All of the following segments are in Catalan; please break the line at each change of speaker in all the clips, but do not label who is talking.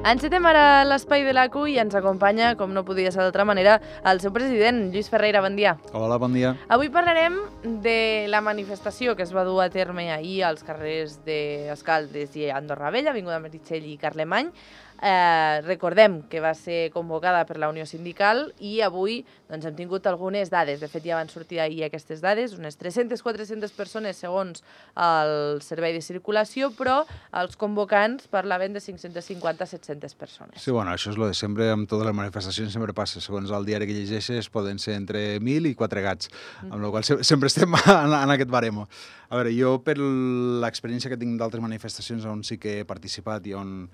Encetem ara l'espai de l'ACU i ens acompanya, com no podia ser d'altra manera, el seu president, Lluís Ferreira. Bon dia.
Hola, bon dia.
Avui parlarem de la manifestació que es va dur a terme ahir als carrers d'Escaldes i Andorra Vella, Avinguda Meritxell i Carlemany. Recordem que va ser convocada per la Unió Sindical i avui hem tingut algunes dades. De fet, ja van sortir ahir aquestes dades, unes 300-400 persones segons el Servei de Circulació, però els convocants parlaven de 550-700 persones.
Sí, bueno, això és el de sempre, amb totes les manifestacions sempre passa. Segons el diari que llegeixes, poden ser entre 1.000 i 4 gats, amb la qual sempre estem en aquest baremo. A veure, jo, per l'experiència que tinc d'altres manifestacions on sí que he participat i on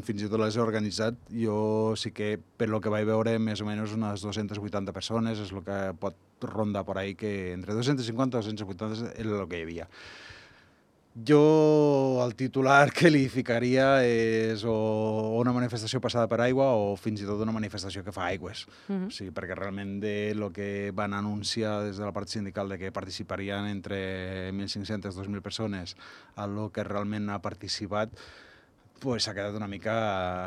fins i tot les he organitzat, jo sí que, per lo que vaig veure, més o menys unes 280 persones és el que pot rondar per ahí, que entre 250 i 280 és el que hi havia. Jo el titular que li ficaria és o una manifestació passada per aigua o fins i tot una manifestació que fa aigües. O sigui, perquè realment del que van anunciar des de la part sindical de que participarien entre 1.500 i 2.000 persones a lo que realment ha participat, s'ha quedat una mica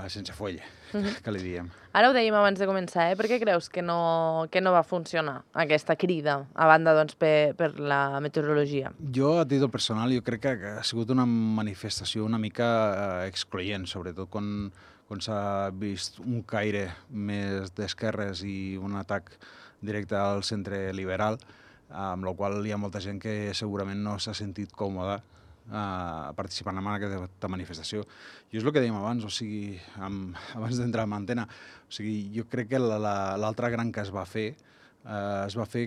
sense folla, que li diem.
Ara ho dèiem abans de començar, Per què creus que no va funcionar aquesta crida, a banda per la meteorologia?
Jo, a títol personal, jo crec que ha sigut una manifestació una mica excloent, sobretot quan s'ha vist un caire més d'esquerres i un atac directe al centre liberal, amb la qual hi ha molta gent que segurament no s'ha sentit còmoda participant en aquesta manifestació. Jo és el que dèiem abans, o sigui, abans d'entrar en antena, o sigui, jo crec que l'altre gran que es va fer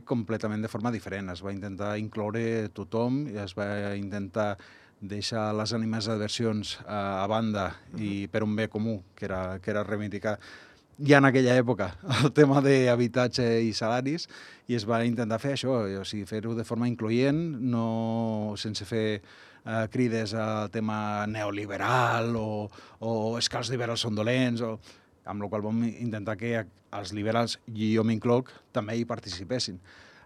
completament de forma diferent. Es va intentar incloure tothom i es va intentar deixar les ànimes adversions a banda i per un bé comú, que era reivindicar ja en aquella època el tema d'habitatge i salaris, i es va intentar fer això, o sigui, fer-ho de forma incloent, no sense fer crides al tema neoliberal o és que els liberals són dolents, amb la qual vam intentar que els liberals, i jo m'incloc, també hi participessin.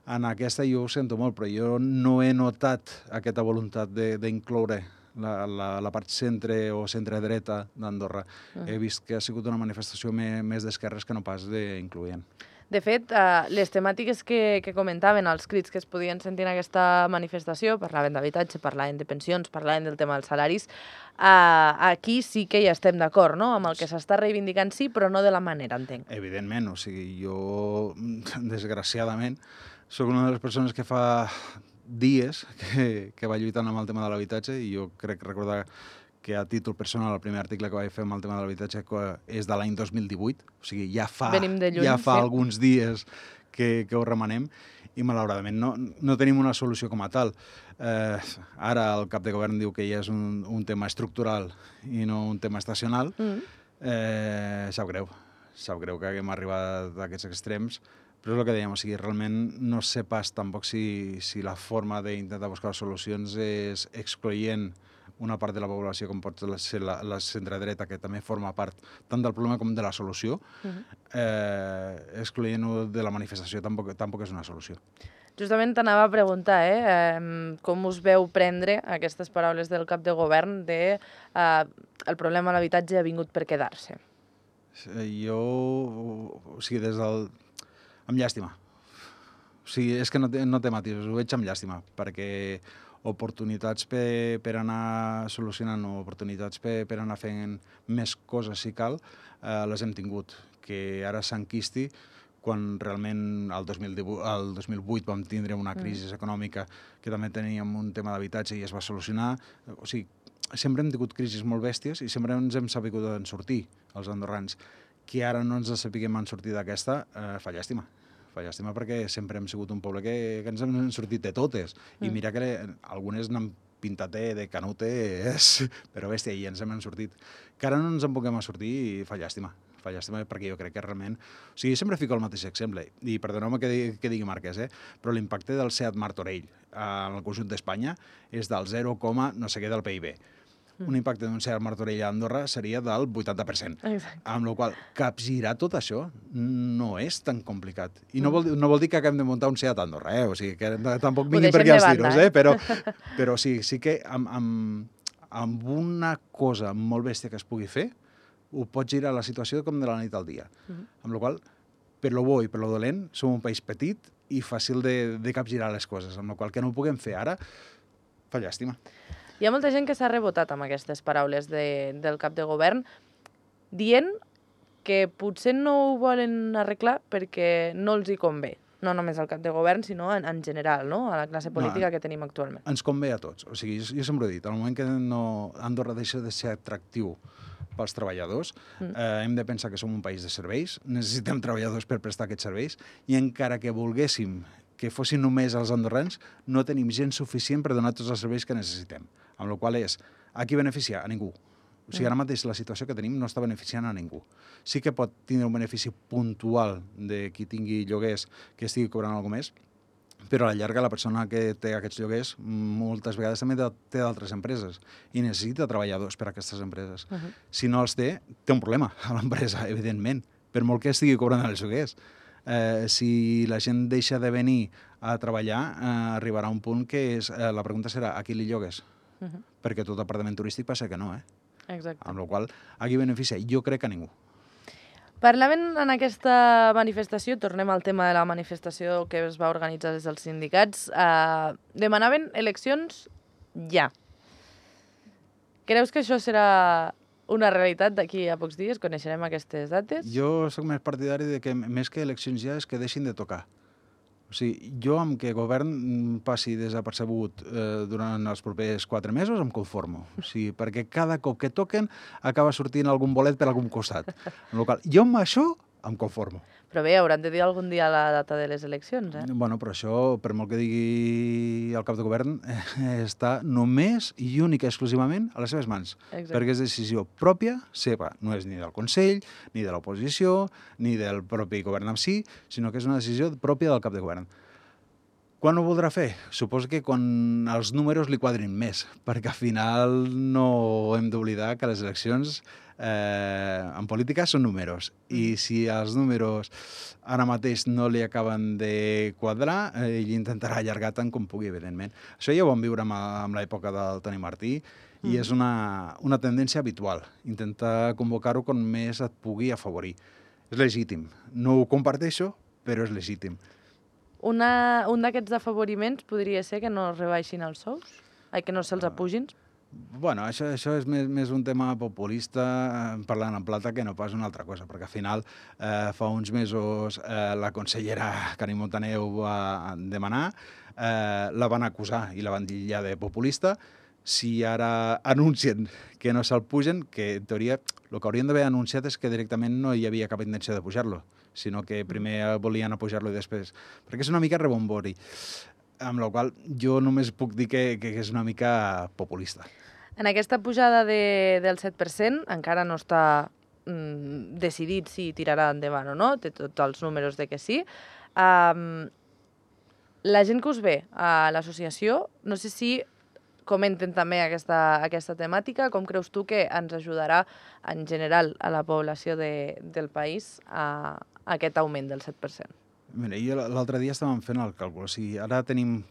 En aquesta jo ho sento molt, però jo no he notat aquesta voluntat d'incloure la part centre o centre-dreta d'Andorra. He vist que ha sigut una manifestació més d'esquerres que no pas d'incloent.
De fet, les temàtiques que comentaven, els crits que es podien sentir en aquesta manifestació, parlaven d'habitatge, parlaven de pensions, parlaven del tema dels salaris, aquí sí que hi estem d'acord, no?, amb el que s'està reivindicant, sí, però no de la manera, entenc.
Evidentment, o sigui, jo, desgraciadament, soc una de les persones que fa dies que va lluitant amb el tema de l'habitatge, i jo crec recordar que a títol personal el primer article que vaig fer amb el tema de l'habitatge és de l'any 2018, o sigui, ja fa alguns dies que ho remenem, i malauradament no tenim una solució com a tal. Ara el cap de govern diu que ja és un tema estructural i no un tema estacional. Sap greu que haguem arribat a aquests extrems, però és el que dèiem, o sigui, realment no sé pas tampoc si la forma d'intentar buscar solucions és excloent una part de la població, com pot ser la centredreta, que també forma part tant del problema com de la solució, excloent-ho de la manifestació tampoc és una solució.
Justament t'anava a preguntar, com us veu prendre aquestes paraules del cap de govern de el problema de l'habitatge ha vingut per quedar-se?
Jo, o sigui, amb llàstima. O sigui, és que no té matisos, ho veig amb llàstima, perquè oportunitats per anar solucionant o oportunitats per anar fent més coses si cal, les hem tingut. Que ara s'enquisti quan realment el 2008 vam tindre una crisi econòmica que també teníem un tema d'habitatge i es va solucionar. O sigui, sempre hem tingut crisis molt bèsties i sempre ens hem sabut en sortir, els andorrans. Que ara no ens sapiguem en sortir d'aquesta, fa llàstima. Fa llàstima perquè sempre hem sigut un poble que ens hem sortit de totes. I mira que algunes n'han pintat de canutes, però bèstia, i ens hem sortit. Que ara no ens en puguem sortir i fa llàstima. Fa llàstima perquè jo crec que realment... O sigui, sempre fico el mateix exemple, i perdoneu-me que digui marques, però l'impacte del Seat Martorell en el conjunt d'Espanya és del 0, no sé què del PIB. Un impacte d'un Seat Martorell a Andorra seria del 80%.
Exacte.
Amb la qual capgirar tot això no és tan complicat. I no vol dir que haguem de muntar un Seat a Andorra, o sigui, que tampoc vinguin per aquí els tiros, però sí que amb una cosa molt bèstia que es pugui fer, ho pot girar la situació com de la nit al dia. Amb la qual cosa, per lo bo i per lo dolent, som un país petit i fàcil de capgirar les coses, amb la qual cosa que no ho puguem fer ara, fa llàstima.
Hi ha molta gent que s'ha rebotat amb aquestes paraules del cap de govern, dient que potser no ho volen arreglar perquè no els hi convé. No només al cap de govern, sinó en general, no? A la classe política que tenim actualment.
Ens convé a tots. O sigui, jo sempre he dit, al moment que Andorra deixa de ser atractiu pels treballadors, hem de pensar que som un país de serveis, necessitem treballadors per prestar aquests serveis, i encara que volguéssim que fossin només els andorrans, no tenim gent suficient per donar tots els serveis que necessitem. Amb la qual és, a qui beneficia? A ningú. O sigui, ara mateix la situació que tenim no està beneficiant a ningú. Sí que pot tindre un benefici puntual de qui tingui lloguers que estigui cobrant alguna més, però a la llarga la persona que té aquests lloguers moltes vegades també té d'altres empreses i necessita treballadors per a aquestes empreses. Si no els té un problema a l'empresa, evidentment, per molt que estigui cobrant els lloguers. Si la gent deixa de venir a treballar, arribarà un punt que la pregunta serà a qui li llogues? Perquè tot apartament turístic passa que no,
Exacte.
Amb la qual cosa, a qui beneficia? Jo crec que a ningú.
Parlaven en aquesta manifestació, tornem al tema de la manifestació que es va organitzar des dels sindicats, demanaven eleccions ja. Creus que això serà una realitat d'aquí a pocs dies? Coneixerem aquestes dates?
Jo sóc més partidari de que més que eleccions ja és que deixin de tocar. O sigui, jo amb que el govern passi desapercebut durant els propers 4 mesos em conformo. O sigui, perquè cada cop que toquen acaba sortint algun bolet per algun costat. En local, jo amb això em conformo.
Però bé, hauran de dir algun dia la data de les eleccions,
Bueno, però això, per molt que digui el cap de govern, està només i única exclusivament a les seves mans.
Exacte.
Perquè és decisió pròpia, seva. No és ni del Consell, ni de l'oposició, ni del propi govern en si, sinó que és una decisió pròpia del cap de govern. Quan ho voldrà fer? Suposo que quan els números li quadrin més, perquè al final no hem d'oblidar que les eleccions en política són números, i si els números ara mateix no li acaben de quadrar, ell intentarà allargar tant com pugui, evidentment. Això ja ho vam viure amb l'època del Toni Martí, i és una tendència habitual, intentar convocar-ho com més et pugui afavorir. És legítim. No ho comparteixo, però és legítim.
Un d'aquests afavoriments podria ser que no es rebaixin els sous? Que no se'ls apugin?
Bueno, això és més un tema populista, parlant en plata, que no pas una altra cosa, perquè al final fa uns mesos la consellera Carme Montaner ho va demanar, la van acusar i la van dir ja de populista. Si ara anuncien que no se'l pugen, que en teoria el que haurien d'haver anunciat és que directament no hi havia cap intenció de pujar-lo, sinó que primer volien apujar-lo i després... Perquè és una mica rebombori, amb la qual jo només puc dir que és una mica populista.
En aquesta pujada del 7% encara no està decidit si tirarà endavant o no, té tots els números de que sí. La gent que us ve a l'associació, no sé si comenten també aquesta temàtica, com creus tu que ens ajudarà en general a la població del país a aquest augment del 7%?
Mira, jo l'altre dia estàvem fent el càlcul. O sigui, ara tenim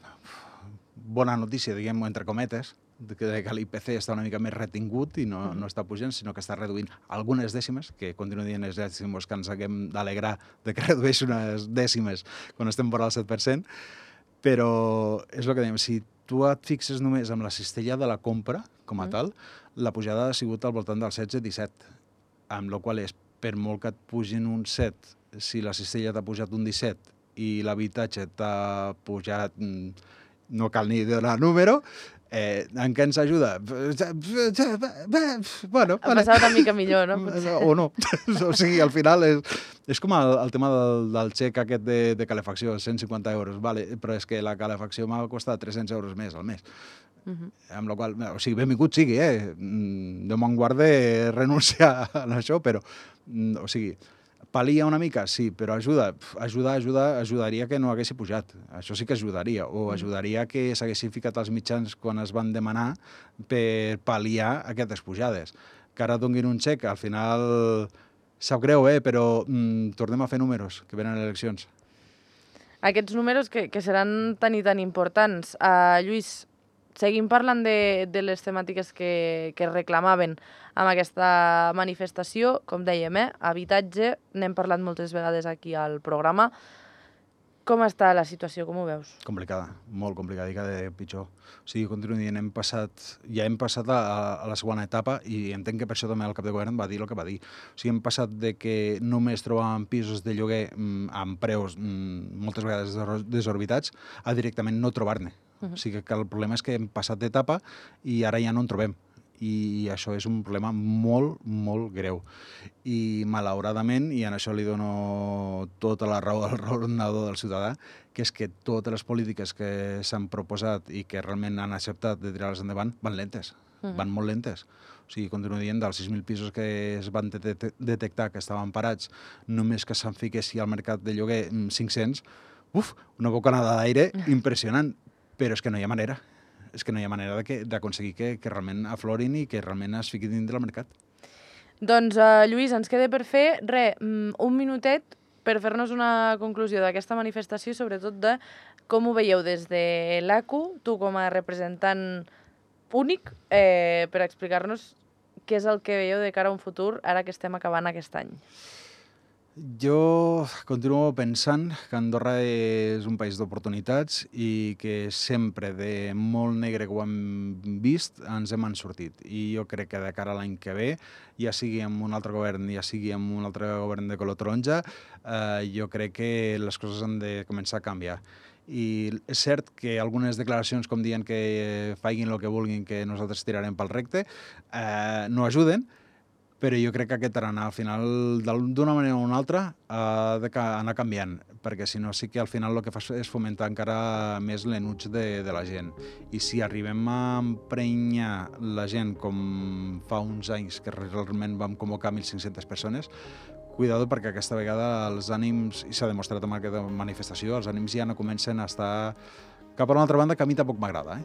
bona notícia, diguem-ho entre cometes, que l'IPC està una mica més retingut i no està pujant, sinó que està reduint algunes dècimes, que continuo dient els dècimes que ens haguem d'alegrar de que redueix unes dècimes quan estem vora el 7%, però és el que dèiem, si tu et fixes només amb la cistella de la compra, com a tal, la pujada ha sigut al voltant del 16-17, amb la qual és, per molt que et pugin un 7, si la cistella t'ha pujat un 17 i l'habitatge t'ha pujat, no cal ni donar número, en què ens ajuda? Bueno,
ha passat una mica millor, no?
O no. O sigui, al final és com el tema del xec aquest de calefacció, 150 euros, vale, però és que la calefacció m'ha costat 300 euros més al mes. Amb la qual, o sigui, benvingut sigui, Déu me'n guarde renunciar a això, però, o sigui, pal·lia una mica, sí, però ajudaria que no haguessi pujat. Això sí que ajudaria, o ajudaria que s'haguessin ficat els mitjans quan es van demanar per pal·liar aquestes pujades. Que ara donguin un xec, al final sap greu, però tornem a fer números, que venen eleccions.
Aquests números que seran tan i tan importants. Lluís, seguim parlant de les temàtiques que reclamaven amb aquesta manifestació. Com dèiem, habitatge, n'hem parlat moltes vegades aquí al programa. Com està la situació? Com ho veus?
Complicada, molt complicada i cada dia pitjor. O sigui, continuo dient, hem passat a la segona etapa i entenc que per això també el cap de govern va dir el que va dir. O sigui, hem passat de que només trobàvem pisos de lloguer amb preus moltes vegades desorbitats a directament no trobar-ne. O sigui que el problema és que hem passat d'etapa i ara ja no en trobem. I això és un problema molt, molt greu. I malauradament, i en això li dono tota la raó al raonador del ciutadà, que és que totes les polítiques que s'han proposat i que realment han acceptat de tirar-les endavant van lentes, van molt lentes. O sigui, continuo dient, dels 6.000 pisos que es van detectar que estaven parats, només que se'n fiquessi al mercat de lloguer 500, una bocanada d'aire impressionant, però és que no hi ha manera. És que no hi ha manera d'aconseguir que realment aflorin i que realment es fiquin dins del mercat.
Doncs, Lluís, ens queda per fer, un minutet per fer-nos una conclusió d'aquesta manifestació i sobretot de com ho veieu des de l'ACU, tu com a representant únic, per explicar-nos què és el que veieu de cara a un futur ara que estem acabant aquest any.
Jo continuo pensant que Andorra és un país d'oportunitats i que sempre de molt negre que ho hem vist ens hem sortit. I jo crec que de cara a l'any que ve, ja sigui amb un altre govern, ja sigui amb un altre govern de color taronja, jo crec que les coses han de començar a canviar. I és cert que algunes declaracions, com diuen que facin el que vulguin, que nosaltres tirarem pel recte, no ajuden, però jo crec que aquest tarannà, al final, d'una manera o una altra, ha d'anar canviant, perquè si no sí que al final el que fa és fomentar encara més l'enuig de la gent. I si arribem a emprenyar la gent com fa uns anys, que realment vam convocar 1.500 persones, cuidado perquè aquesta vegada els ànims, i s'ha demostrat amb aquesta manifestació, els ànims ja no comencen a estar cap a una altra banda que a mi tampoc m'agrada.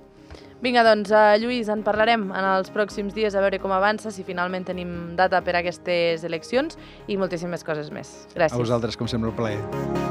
Vinga, doncs, Lluís, en parlarem en els pròxims dies a veure com avança, si finalment tenim data per a aquestes eleccions i moltíssimes coses més. Gràcies.
A vosaltres, com sempre, un plaer.